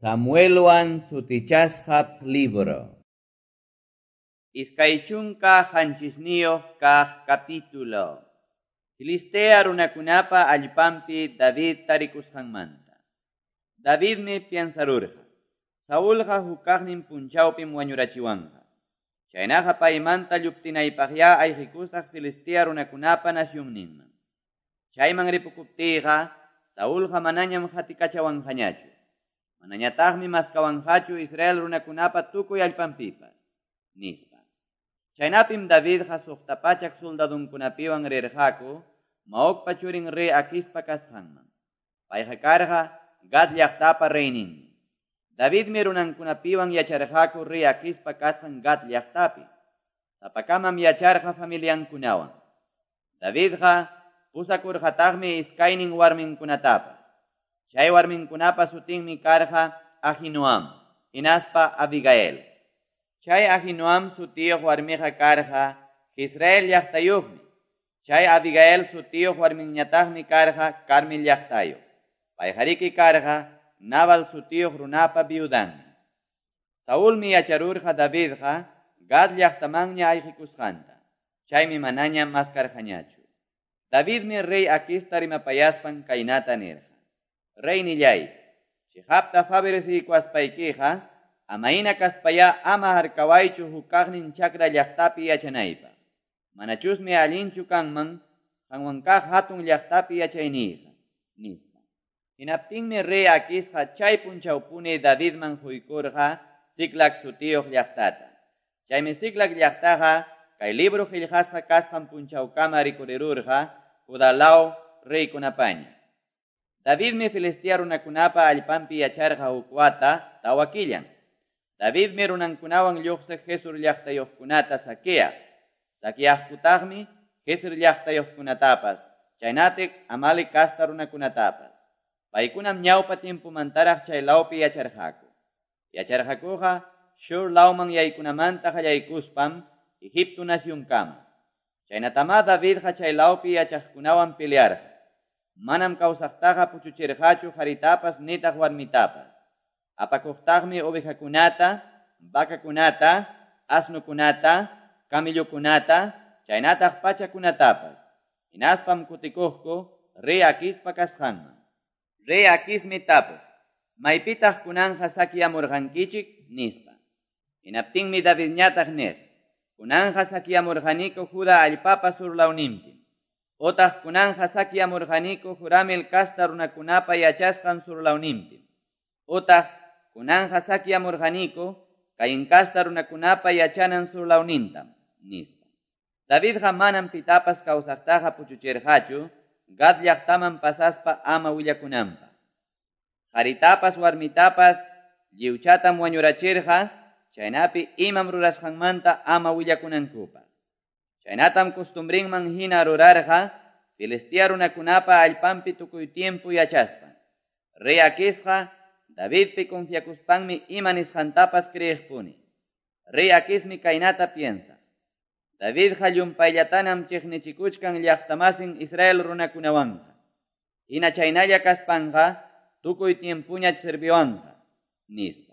Samuelwan sutichasqa libro. 27 kaq capítulo. Filistea runakunapa allpanpi David tarikusqanmanta. Davidmi piensarurqa: Saulqa hukaqnin punchawpim wañurachiwanqa. Chaynaqa paymanta lluptinaypaqya ayqikusaq Filistea runakunapa nacionninman. Chayman ripukuptiyqa Saulqa manañam hatikachawanqañachu. Manañataqmi maskawanqachu Israel runakunapa tukuy allpanpipas, nispa. Chaynapim Davidqa 600 soldadunkunapiwan rirqaku Maocpa churin rey Aquispa kasqanman. Payqa karqa Gad llaqtapa reyninmi. Davidmi runankunapiwan yacharqaku rey Aquispa kasqan Gad llaqtapi. Sapakamam yacharqa familiankunawan. Davidqa pusakurqataqmi iskaynin warminkunatapas. Chay warminkunapa sutinmi karqa Ahinoam, hinaspa Abigail. Chay Ahinoam sutiyuq warmiqa karqa Israel llaqtayuqmi. Chay Abigail sutiyuq warminñataqmi karqa Carmel llaqtayuq. Payqariki karqa Nabal sutiyuq runapa viudanmi. Saulmi yacharurqa Davidqa Gad llaqtamanña ayqikusqanta. Chaymi manaña maskarqañachu. Davidmi rey Aquista rimapayaspan kaynata nirqa: Reynillay, chiqapta favoreciykuwaspaykiqa amayna kaspayá ama harkawaychu hukaqnin chakra llaqtapi yachanaypaq. Manachusmi allinchu kanman qanwan kaq hatun llaqtapi yachayniyqa, nispa. Hinaptinmi rey Aquisqa chay punchawpuni Davidman huykurqa Siclag sutiyuq llaqtata. Chaymi Siclag llaqtaqa kay libro qillqasqa kasqan punchawkama rikurirurqa Judá law reykunapaña. Davidmi Filistea runakunapa allpanpi yacharqa huk wata 4 killan. Davidmi runankunawan lluqsiq Gesur llaqtayuqkunata saqueaq. Saqueaqkutaqmi Gesur llaqtayuqkunatapas, chaynataq Amalek casta runakunatapas. Paykunam ñawpa tiempomantaraq chay lawpi yacharqaku. Yacharqakuqa Shur lawman yaykunamanta qallaykuspam Egipto nacionkama. Chaynatamá Davidqa chay lawpi yachaqkunawan pelearqa. Manam kawsaqtaqa puchuchirqachu qaritapas nitaq warmitapas. Apakuqtaqmi ovejakunata, vacakunata, asnukunata, camellokunata, chaynataq pachakunatapas. Hinaspam kutikuqku rey Aquispa kasqanman. Rey Aquismi tapuq: Maypitaq kunanja saqueamurqankichik, nispa. Hinaptinmi Davidñataq nirqa: Kunanja saqueamurqaniku Judá allpapa surlawninpi. Otaq kunanja saqueamurqaniku Juramel casta runakunapa yachasqan surlawninpi. Otaq kunanja saqueamurqaniku Caín casta runakunapa yachanan surlawnintam, nispa. Davidqa manam pitapas kawsaqtaqa puchuchirqachu Gad llaqtaman pasaspa ama willakunanpaq. Qaritapas warmitapas lliwchatam wañurachirqa chaynapi imam rurasqanmanta ama willakunankupaq. Chaynatam costumbrinman hina rurarqa Filistea runakunapa allpanpi tukuy tiempo yachaspa. Rey Aquisqa Davidpi confiakuspanmi ima nisqantapas creeqpuni. Rey Aquismi kaynata piensa: Davidqa llumpayllatanam chiqnichikuchkan llaqtamasin Israel runakunawanqa. Hina chaynalla kaspanqa tukuy tiempuñach serviwanqa, nispa.